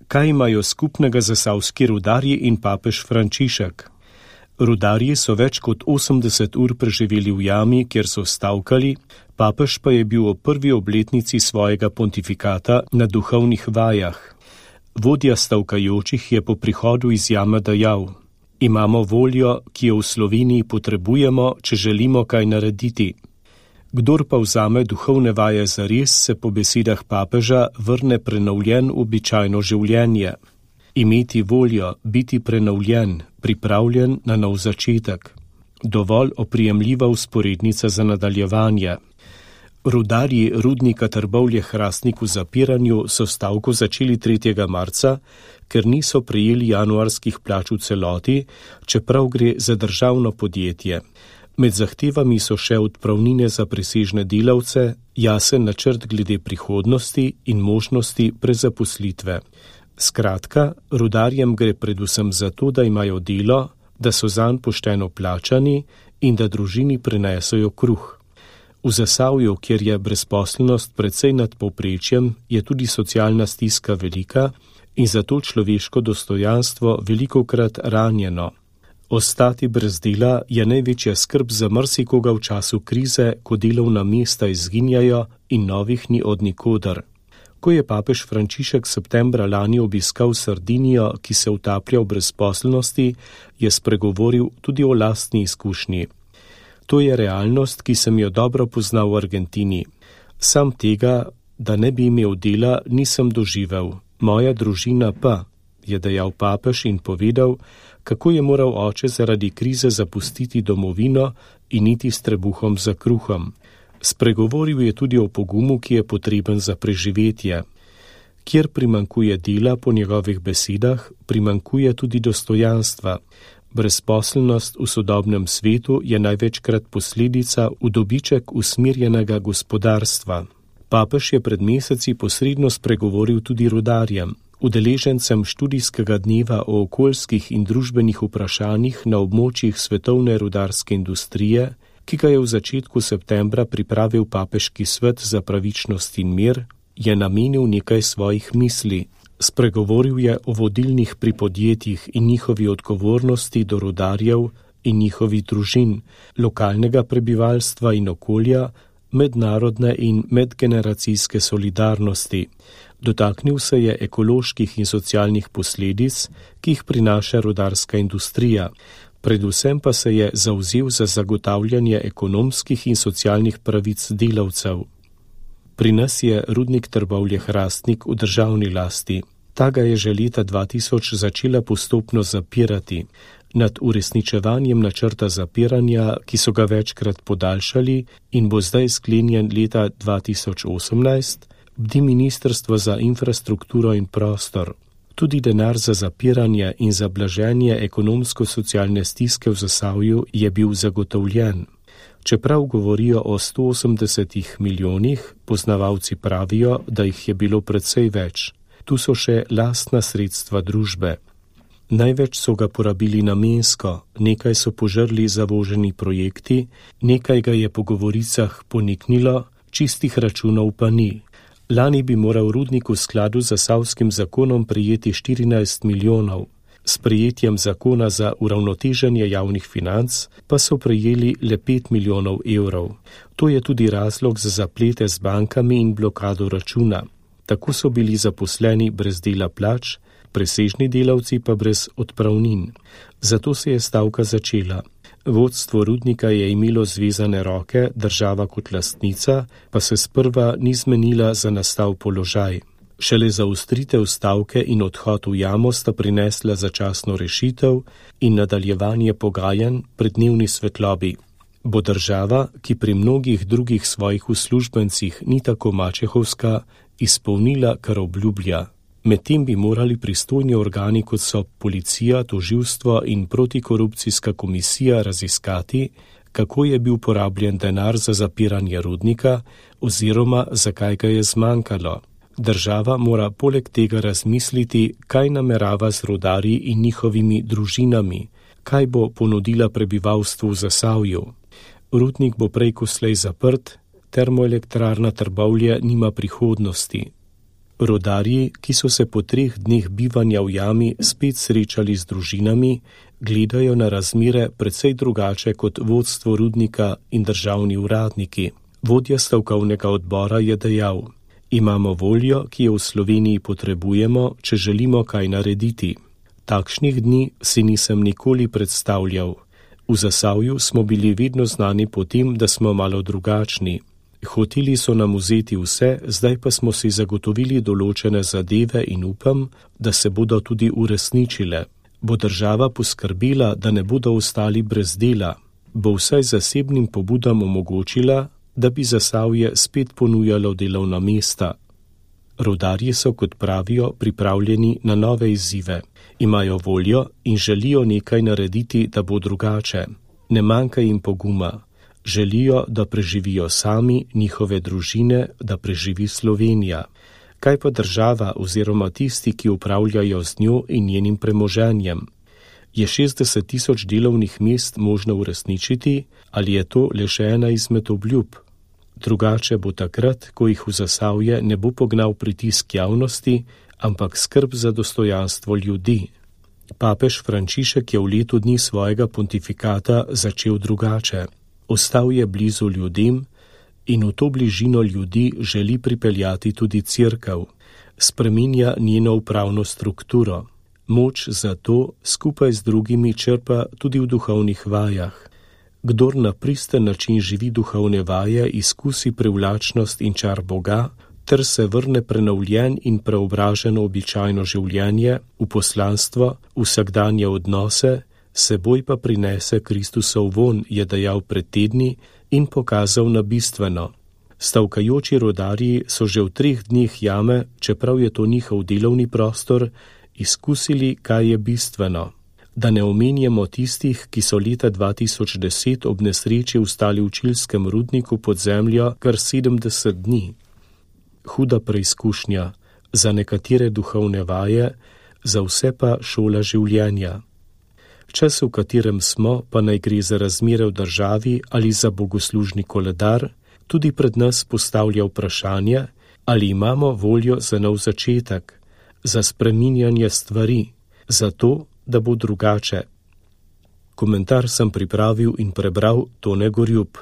Kaj imajo skupnega zasavski rudarji in papež Frančišek? Rudarji so več kot 80 ur preživeli v jami, kjer so stavkali, papež pa je bil ob prvi obletnici svojega pontifikata na duhovnih vajah. Vodja stavkajočih je po prihodu iz jame dejal: Imamo voljo, ki jo v Sloveniji potrebujemo, če želimo kaj narediti. Kdor pa vzame duhovne vaje zares, se po besedah papeža vrne prenovljen v običajno življenje. Imeti voljo, biti prenovljen, pripravljen na nov začetek. Dovolj oprijemljiva vzporednica za nadaljevanje. Rudarji rudnika Trbovlje-Hrastnik v zapiranju so stavko začeli 3. marca, ker niso prejeli januarskih plač v celoti, čeprav gre za državno podjetje. Med zahtevami so še odpravnine za presežne delavce, jasen načrt glede prihodnosti in možnosti prezaposlitve. Skratka, rudarjem gre predvsem za to, da imajo delo, da so zanj pošteno plačani in da družini prinesejo kruh. V Zasavju, kjer je brezposelnost precej nad povprečjem, je tudi socialna stiska velika in zato človeško dostojanstvo velikokrat ranjeno. Ostati brez dela je največja skrb za marsikoga v času krize, ko delovna mesta izginjajo in novih ni od nikoder. Ko je papež Frančišek septembra lani obiskal Sardinijo, ki se utaplja v brezposelnosti, je spregovoril tudi o lastni izkušnji. To je realnost, ki sem jo dobro poznal v Argentini. Sam tega, da ne bi imel dela, nisem doživel. Moja družina pa, je dejal papež in povedal, kako je moral oče zaradi krize zapustiti domovino in iti s trebuhom za kruhom. Spregovoril je tudi o pogumu, ki je potreben za preživetje. Kjer primanjkuje dela, po njegovih besedah, primanjkuje tudi dostojanstva. Brezposelnost v sodobnem svetu je največkrat posledica v dobiček usmerjenega gospodarstva. Papež je pred meseci posredno spregovoril tudi rudarjem. Udeležencem študijskega dneva o okoljskih in družbenih vprašanjih na območjih svetovne rudarske industrije, ki ga je v začetku septembra pripravil Papeški svet za pravičnost in mir, je namenil nekaj svojih misli. Spregovoril je o vodilnih pri podjetjih in njihovi odgovornosti do rudarjev in njihovih družin, lokalnega prebivalstva in okolja, mednarodne in medgeneracijske solidarnosti. Dotaknil se je ekoloških in socialnih posledic, ki jih prinaša rudarska industrija. Predvsem pa se je zavzel za zagotavljanje ekonomskih in socialnih pravic delavcev. Pri nas je rudnik Trbovlje-Hrastnik v državni lasti. Ta ga je že leta 2000 začela postopno zapirati. Nad uresničevanjem načrta zapiranja, ki so ga večkrat podaljšali in bo zdaj sklenjen leta 2018, bdi Ministrstvo za infrastrukturo in prostor. Tudi denar za zapiranje in za blaženje ekonomsko-socialne stiske v Zasavju je bil zagotovljen. Čeprav govorijo o 180 milijonih, poznavalci pravijo, da jih je bilo precej več. Tu so še lastna sredstva družbe. Največ so ga porabili namensko, nekaj so požrli zavoženi projekti, nekaj ga je po govoricah poniknilo, čistih računov pa ni. Lani bi moral rudnik v skladu z Zasavskim zakonom prejeti 14 milijonov. S prejetjem zakona za uravnoteženje javnih financ pa so prejeli le 5 milijonov evrov. To je tudi razlog za zaplete z bankami in blokado računa. Tako so bili zaposleni brez dela plač, presežni delavci pa brez odpravnin. Zato se je stavka začela. Vodstvo rudnika je imelo zvezane roke, država kot lastnica pa se sprva ni zmenila za nastal položaj. Šele zaostritev stavke in odhod v jamo sta prinesla začasno rešitev in nadaljevanje pogajanj pri dnevni svetlobi. Bo država, ki pri mnogih drugih svojih uslužbencih ni tako mačehovska, izpolnila, kar obljublja. Medtem bi morali pristojni organi, kot so policija, tožilstvo in protikorupcijska komisija, raziskati, kako je bil porabljen denar za zapiranje rudnika oziroma zakaj ga je zmanjkalo. Država mora poleg tega razmisliti, kaj namerava z rudarji in njihovimi družinami, kaj bo ponudila prebivalstvu v Zasavju. Rudnik bo prej ko slej zaprt, termoelektrarna Trbovlje nima prihodnosti. Rudarji, ki so se po 3 dneh bivanja v jami spet srečali z družinami, gledajo na razmere precej drugače kot vodstvo rudnika in državni uradniki. Vodja stavkovnega odbora je dejal: imamo voljo, ki jo v Sloveniji potrebujemo, če želimo kaj narediti. Takšnih dni si nisem nikoli predstavljal. V Zasavju smo bili vedno znani po tem, da smo malo drugačni. Hoteli so nam vzeti vse, zdaj pa smo si zagotovili določene zadeve in upam, da se bodo tudi uresničile. Bo država poskrbela, da ne bodo ostali brez dela? Bo vsaj zasebnim pobudam omogočila, da bi Zasavje spet ponujalo delovna mesta? Rudarji so, kot pravijo, pripravljeni na nove izzive. Imajo voljo in želijo nekaj narediti, da bo drugače. Ne manjka jim poguma. Želijo, da preživijo sami, njihove družine, da preživi Slovenija. Kaj pa država oziroma tisti, ki upravljajo z njo in njenim premoženjem? Je 60 000 delovnih mest možno uresničiti ali je to le še ena izmed obljub? Drugače bo takrat, ko jih v Zasavje ne bo pognal pritisk javnosti, ampak skrb za dostojanstvo ljudi. Papež Frančišek je v letu dni svojega pontifikata začel drugače. Ostal je blizu ljudem in v to bližino ljudi želi pripeljati tudi Cerkev. Spreminja njeno upravno strukturo. Moč za to skupaj z drugimi črpa tudi v duhovnih vajah. Kdor na pristen način živi duhovne vaje, izkusi privlačnost in čar Boga, ter se vrne prenovljen in preobraženo običajno življenje, v poslanstvo, vsakdanje odnose, seboj pa prinese Kristusov von, je dejal pred tedni in pokazal na bistveno. Stavkajoči rudarji so že v 3 dneh jame, čeprav je to njihov delovni prostor, izkusili, kaj je bistveno. Da ne omenjamo tistih, ki so leta 2010 ob nesreči ostali v čilskem rudniku pod zemljo kar 70 dni. Huda preizkušnja, za nekatere duhovne vaje, za vse pa šola življenja. Čas, v katerem smo, pa naj gre za razmere v državi ali za bogoslužni koledar, tudi pred nas postavlja vprašanje, ali imamo voljo za nov začetek, za spreminjanje stvari, za to, da bo drugače. Komentar sem pripravil in prebral Tone Gorjup.